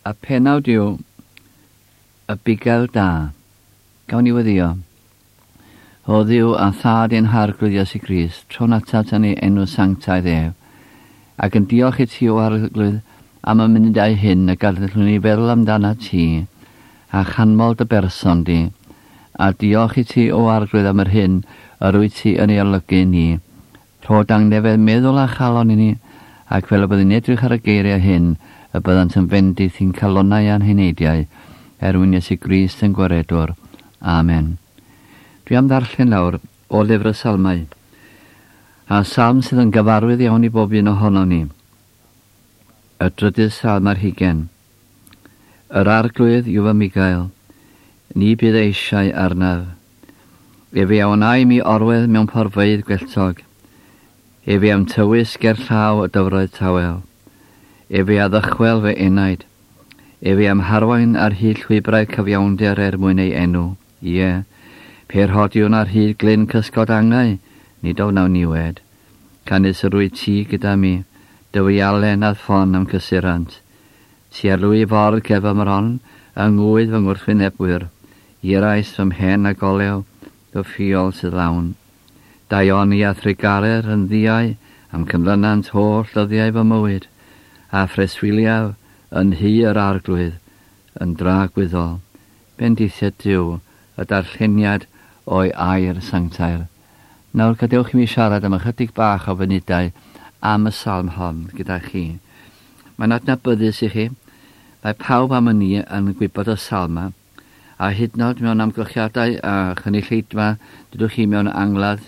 A penawd yw Y Bugail Da. Gawn ni weddio. O Dduw a Thad ein Harglwydd Iesu Grist, trown atat yn ei enw sanctaidd ef, ac yn diolch i ti o Arglwydd am y munudau hyn y gallwn ni feddwl amdana ti, a chanmol dy berson di, a diolch i ti o Arglwydd am yr hyn yr wyt ti yn ei olygu ni. Rho dangnefedd meddwl a chalon i ni, ac fel y byddwn edrych ar y geiriau hyn, y byddant yn fendith i'n calonnau a'n heneidiau, er mwyn Iesu Grist yn gwaredwr. Amen. Dwi am ddarllen lawr o lyfr y Salmau, a salm sydd yn gyfarwydd iawn i bob un ohonom ni. Y drydydd salm ar hugen. Yr arglwydd yw fy migael, ni bydd eisiau arnaf. Efe a wnai mi orwedd mewn porfeydd gwelltog. Efe a'm tywys ger llaw y dyfroedd tawel. Efe a ddychwel fy enaid. Efe a'm harwain ar hyd llwybrau cyfiawnder er mwyn ei enw. Ie, pe rhodiwn ar hyd glyn cysgod angau, nid ofnawn niwed. Canys yr wyt ti gyda mi, dy wialen a'th ffon a'm cysurant. Ti a lwy ffordd ger fy mron, yng ngŵydd fy ngwrthwynebwyr. Irais fy mhen ag olew, fy ffiol sydd lawn. Daioni a thrugaredd yn ddiau am cynlynant holl ddyddiau fy mywyd, a phreswyliaf yn nhŷ yr Arglwydd yn dragwyddol. Bendithied Duw y darlleniad o'i air sanctaidd. Nawr gadewch i mi siarad am ychydig bach o funudau am y salm hon gyda chi. Mae'n adnabyddus i chi. Mae pawb am y ni yn gwybod y salm yma. A hyd yn oed mewn amgylchiadau a chynulleidfa, dydwch chi mewn angladd,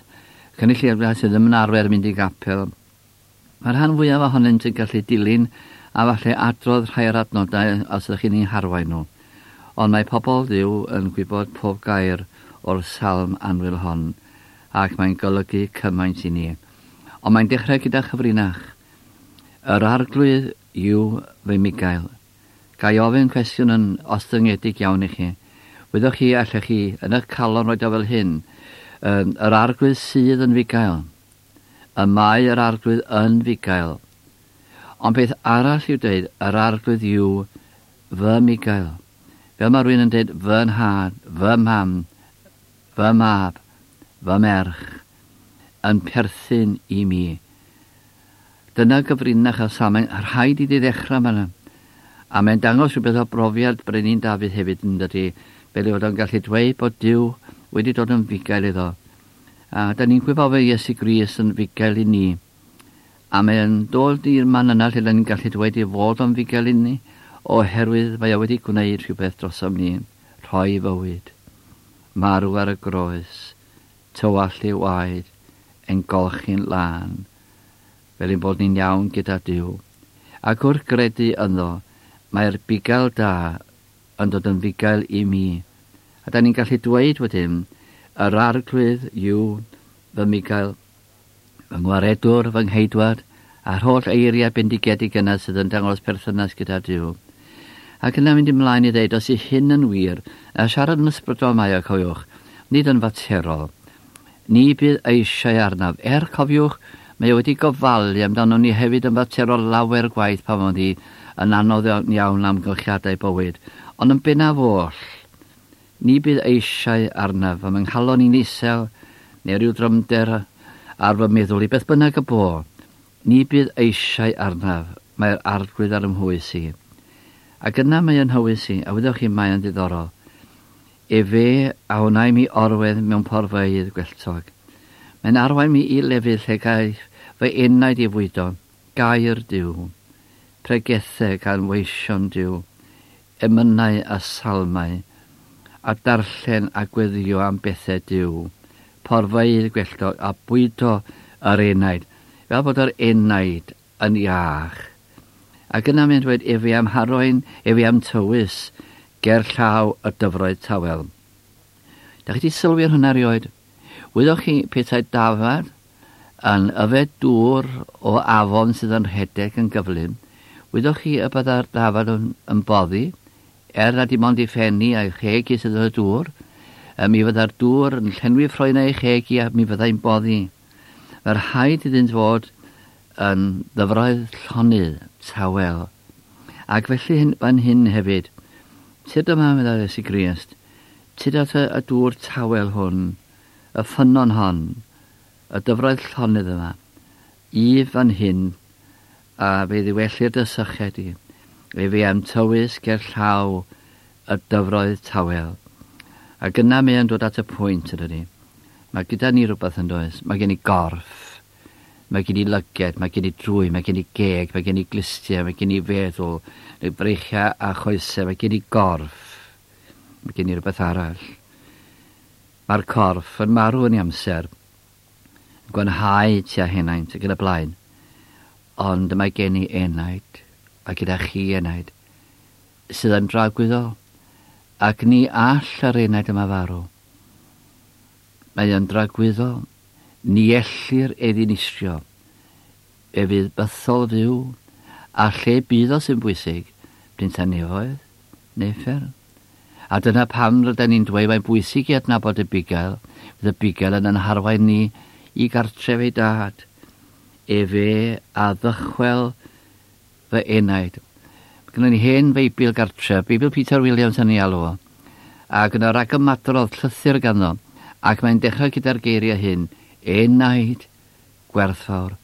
cynulleidfa sydd ddim yn arfer mynd i gapel, Mae'r rhan fwyaf ohonynt yn gallu dilyn a falle adrodd rhai o'r adnodau os ydych chi'n eu harwain nhw. Ond mae pobl Dduw yn gwybod pob gair o'r salm annwyl hon, ac mae'n golygu cymaint i ni. Ond mae'n dechrau gyda chyfrinach. Yr Arglwydd yw fy Migael. Ga i ofyn cwestiwn yn ostyngedig iawn i chi? Wyddoch chi, allech chi yn eich calon roed o fel hyn, Yr Arglwydd sydd yn Fugail. Y mae yr Arglwydd yn fugail. Ond peth arall i'w dweud, yr Arglwydd yw fy mugail. Fel mae rhywun yn dweud fy nhad, fy mham, fy mab, fy merch, yn perthyn i mi. Dyna gyfrinach y salm, mae'n rhaid iddi ddechrau yma. A mae'n dangos rhywbeth o brofiad Brenin Dafydd hefyd yn dydy, fel ei fod o'n gallu dweud bod Duw wedi dod yn fugail iddo. A da ni'n gwybod fe Iesu Grist yn fugail i ni. A mae'n dod i'r man yna lle da ni'n gallu dweud ei fod o'n fugail i ni, oherwydd mae o wedi gwneud rhywbeth drosom ni, rhoi fywyd, marw ar y groes, tywallt ei waed, ein golchi'n lân, fel ein bod ni'n iawn gyda Duw. Ac wrth gredu ynddo, mae'r bugail da yn dod yn fugail i mi. A da ni'n gallu dweud wedyn, yr Arglwydd yw fy mugail, fy ngwaredwr, fy ngheidwad, a'r holl eiriau bendigedig yna sydd yn dangos perthynas gyda Duw. Ac yna mynd ymlaen i ddeud, os yw hyn yn wir, a siarad yn ysbrydol mae o, cofiwch, nid yn faterol. Ni bydd eisiau arnaf. Er, cofiwch, mae o wedi gofalu amdano ni hefyd yn faterol lawer gwaith pan oedd hi yn anodd iawn amgylchiadau bywyd. Ond yn bennaf oll, ni bydd eisiau arnaf, fy nghalon i'n isel, neu rhyw drymder ar fy meddwl i, beth bynnag y bo. Ni bydd eisiau arnaf, mae'r Arglwydd ar 'y mhwys i. Ac yna mae yn nhywys i, a wyddoch chi, mae yn ddiddorol. Efe a wnai mi orwedd mewn porfeydd gwelltog. Mae'n arwain mi i lefydd lle gaiff fy enaid ei fwydo, gair Duw, pregethau gan weision Duw, emynau a salmau, a darllen a gweddïo am bethau Duw, porfeydd gwelltog a bwydo yr enaid, fel bod yr enaid yn iach. Ac yna mae'n dweud, efe am harwain, efe am tywys, ger llaw y dyfroedd tawel. Da chi wedi sylwi ar hwnna erioed? Wyddoch chi petai dafad yn yfed dŵr o afon sydd yn rhedeg yn gyflym, wyddoch chi y byddai'r dafad yn, yn boddi, er na dim ond ei phen hi a'i cheg hi sydd yn y dŵr, mi fyddai'r dŵr yn llenwi ffroenau ei cheg hi a mi fyddai'n boddi. Mae'r rhaid iddynt fod yn ddyfroedd llonydd, tawel. Ac felly hyn, fan hyn hefyd, tyd yma, meddai Iesu Grist, tyd at y, y dŵr tawel hwn, y ffynnon hon, y dyfroedd llonydd yma, i fan hyn, a fe ddiwellir dy syched i. Efe am tywys ger llaw y dyfroedd tawel. Ac yna mae yn dod at y pwynt ydy ni. Mae gyda ni rhywbeth yn does. Mae gen i gorff. Mae gen i lyged, mae gen i drwy, mae gen i geg, mae gen i glustiau, mae gen i feddwl, neu breichiau a choesau, mae gen i gorff. Mae gen i rhywbeth arall. Mae'r corff yn marw yn ei amser, yn gwanhau tua henaint ac yn y blaen. Ond mae gen i enaid, a gyda chi enaid, sydd yn dragwyddol, ac ni all yr enaid yma farw. Mae yn dragwyddol, ni ellir ei ddinistrio. E fydd bythol fyw, a lle bydd o sy'n bwysig, bryn nefoedd neu uffern. A dyna pam rydyn ni'n dweud mae'n bwysig i adnabod y bugail, fydd y bugail yn yn harwain ni i gartref ei dad. Efe a ddychwel fy enaid. Mae gennym ni hen Feibl gartref, Beibl Peter Williams yn ei alw o. Ac yna rhagymadrodd llythyr ganddo, ac mae'n dechrau gyda'r geiriau hyn, enaid gwerthfawr.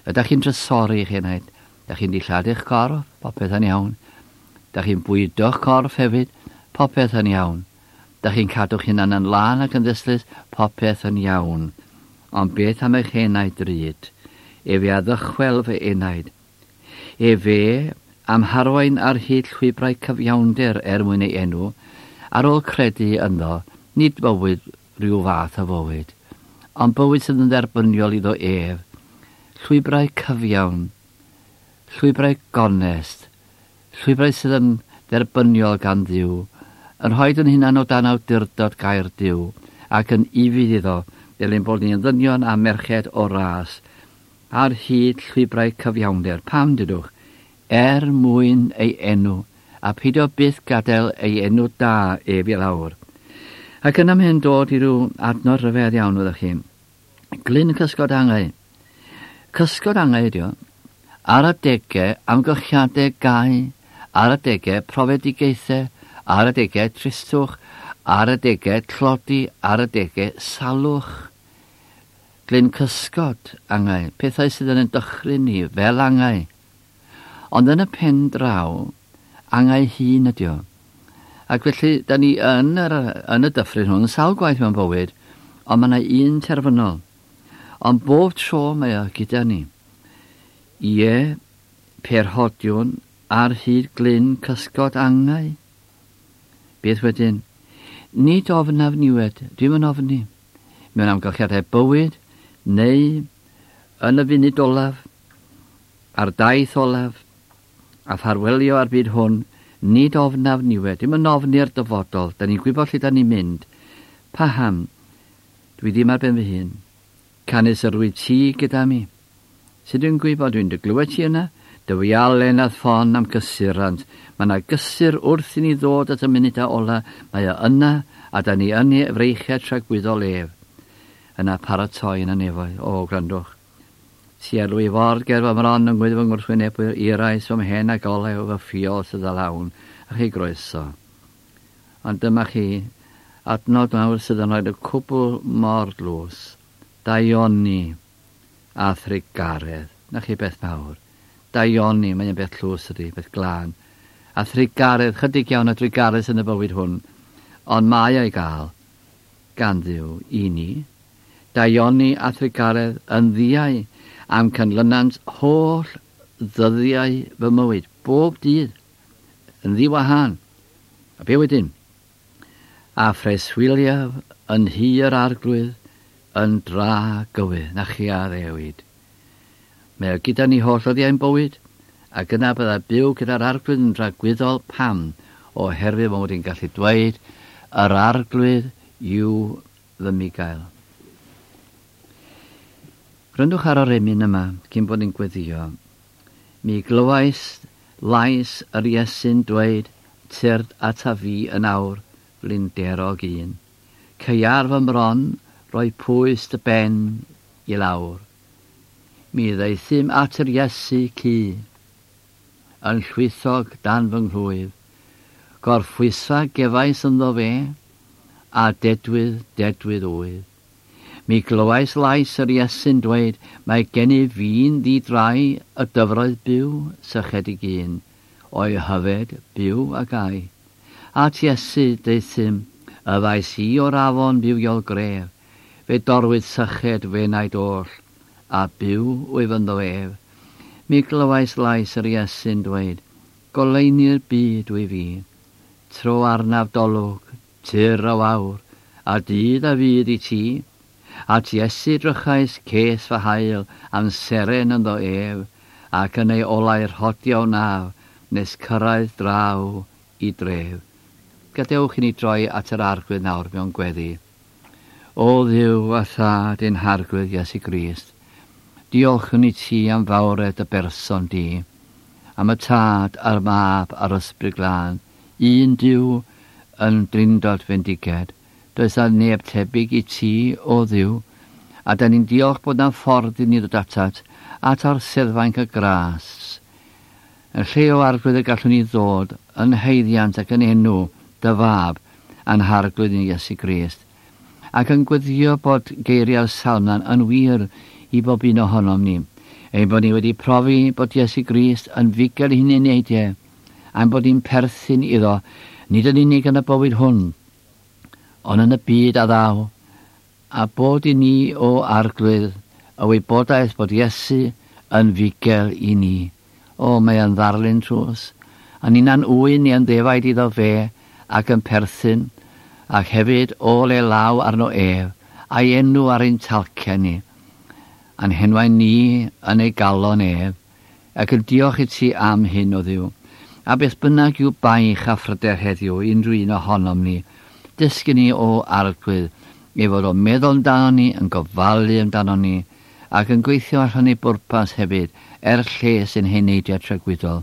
Ydych chi'n trysori eich enaid? Ydych chi'n dilladu eich corff? Popeth yn iawn. Ydych chi'n bwydo'ch corff hefyd? Popeth yn iawn. Ydych chi'n cadw'ch hunan yn lân ac yn ddystlys? Popeth yn iawn. Ond beth am eich enaid drud? Efe a ddychwel fy enaid. Efe am harwain ar hyd llwybrau cyfiawnder er mwyn ei enw, ar ôl credu ynddo, nid bywyd rhyw fath o fywyd, ond bywyd sydd yn dderbyniol iddo ef, llwybrau cyfiawn, llwybrau gonest, llwybrau sydd yn dderbyniol gan Dduw, yn rhoi yn hunan o dan awdurdod gair Duw, ac yn ufudd iddo, fel ein bod ni yn ddynion a merched o ras, ar hyd llwybrau cyfiawnder. Pam, dydwch? Er mwyn ei enw, a peidio byth gadael ei enw da ef i lawr. Ac yna mae'n dod i ryw adnod rhyfedd iawn, fyddwch chi. Glyn cysgod angau. Cysgod angau ydi o. Ar adegau amgylchiadau gau, ar adegau profedigaethau, ar adegau tristwch, ar adegau tlodi, ar adegau salwch. Glyn cysgod angau, pethau sydd yn dychryn ni fel angau. Ond yn y pen draw, angau hun ydi o. Ac felly, da ni yn, yr, yn y dyffryn hwn, sawl gwaith mewn bywyd, ond mae yna un terfynol. Ond bob tro mae o gyda ni. Ie, perhodiwn ar hyd glyn cysgod angau. Beth wedyn? Nid ofnaf niwed, dwi'm yn ofni. Mewn amgylchiadau bywyd, neu yn y funud olaf, ar daith olaf, a ffarwelio ar byd hwn, nid ofnaf niwed, dim yn ofni'r dyfodol, da ni'n gwybod lle da ni'n mynd. Paham? Dwi ddim ar ben fy hun. Canys yr wyt ti gyda mi. Sut dwi'n gwybod dwi'n dy glywed ti yna? Dy wialen a ffon am gysurant. Mae yna gysur wrth i ni ddod at y munudau ola. Mae o yna, a da ni yn ei freichiau tragwyddol ef. Yna paratoi yn y nefoedd. O, gwrandwch. Ti ar lwy ford ger fy mron yng ngwddf fy ngwrthwynebwyr, irais fy mhen a golew fy ffiol sydd â lawn, a chi groeso. Ond dyma chi, adnod mawr sydd yn rhoi y cwbl mor dlws, daioni a thrugaredd. Na chi beth mawr. Daioni, mae'n beth tlws ydy, beth glân. A thrugaredd, chydig iawn o drugaredd sydd yn y bywyd hwn, ond mae o'i gael gan Dduw i ni. Daioni a thrugaredd yn ddiau am canlynant holl ddyddiau fy mywyd, bob dydd, yn ddiwahan. A be wedyn? A phreswyliaf yn nhŷ yr arglwydd yn dra gywydd, na chi a ddewid. Mae o gyda ni holl ddyddiau'n bywyd, ac yna bydda byw gyda'r arglwydd yn dragwyddol pam, oherwydd mod i'n gallu dweud, yr arglwydd yw fy mugail. Gwrandwch ar yr emyn yma cyn bod ni'n gweddio. Mi glywais lais yr Iesu'n dweud, tyrd ata fi yn awr, flinderog un. Caear fy mron, roi pwys dy ben i lawr. Mi ddaethum at yr Iesu cu. yn llwythog dan fy nghlwyf. Gorffwysa gefais ynddo fe, a dedwydd, dedwydd oedd. Mi glywais lais yr Iesu'n dweud, mae gennyf fi'n ddi-drai y dyfroedd byw, sychedig un, o'i hyfed, byw a gai. At Iesu deuthum, yfais i o'r afon fywiol gref, fe dorwyd syched f'enaid oll, a byw wyf ynddo ef. Mi glywais lais yr Iesu'n dweud, goleuni'r byd wyf fi. Tro arnaf dolwg, tir a wawr, a dydd a fydd i ti. At Iesu drychais ces fy haul am seren ynddo ef, ac yn ei olau rhodio wnaf, nes cyrraedd draw i dref. Gadewch i ni droi at yr Arglwydd nawr mewn gweddi. O Dduw a Thad ein Harglwydd Iesu Grist, diolchwn i ti am fawredd dy berson di, am y Tad a'r Mab a'r Ysbryd Glân, un Duw yn drindod fendiged. Does 'na neb tebyg i ti, o Dduw, a da ni'n diolch bod 'na ffordd i ni ddod atat, at orseddfainc y gras. Yn lle o Arglwydd y gallwn ni ddod yn haeddiant ac yn enw dy Fab a'n Harglwydd ni Iesu Grist, ac yn gweddio bod geiriau'r Salmlan yn wir i bob un ohonom ni, ein bod ni wedi profi bod Iesu Grist yn fugail i'n heneidiau, a'n bod ni'n perthyn iddo, nid yn unig yn y bywyd hwn, ond yn y byd a ddaw, a bod i ni, o Arglwydd, y wybodaeth bod Iesu yn fugail i ni. O, mae yn ddarlun trws, a ninna'n ŵyn ni yn ddefaid iddo fe, ac yn perthyn, ac hefyd ôl ei law arno ef, a'i enw ar ein talcen ni, a'n henwau ni yn ei galon ef, ac yn diolch i ti am hyn, o Dduw. A beth bynnag yw baich a phryder heddiw i unrhyw un ohonom ni, dysgu ni, o Arglwydd, ei fod o'n meddwl amdanon ni, yn gofalu amdanon ni, ac yn gweithio allan ei bwrpas hefyd er lles ein heneidiau tragwyddol.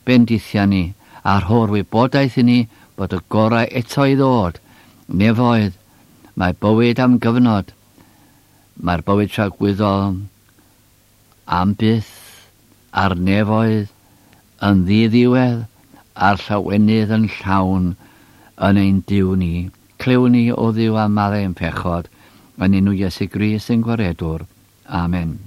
Bendithia ni, a rho'r wybodaeth i ni bod y gorau eto i ddod. Nefoedd, mae bywyd am gyfnod. Mae'r bywyd tragwyddol am byth, a'r nefoedd yn ddiddiwedd, a'r llawenydd yn llawn yn ein Duw ni. Clyw ni, o Dduw, a maddau ein pechod, yn enw Iesu Grist ein Gwaredwr. Amen.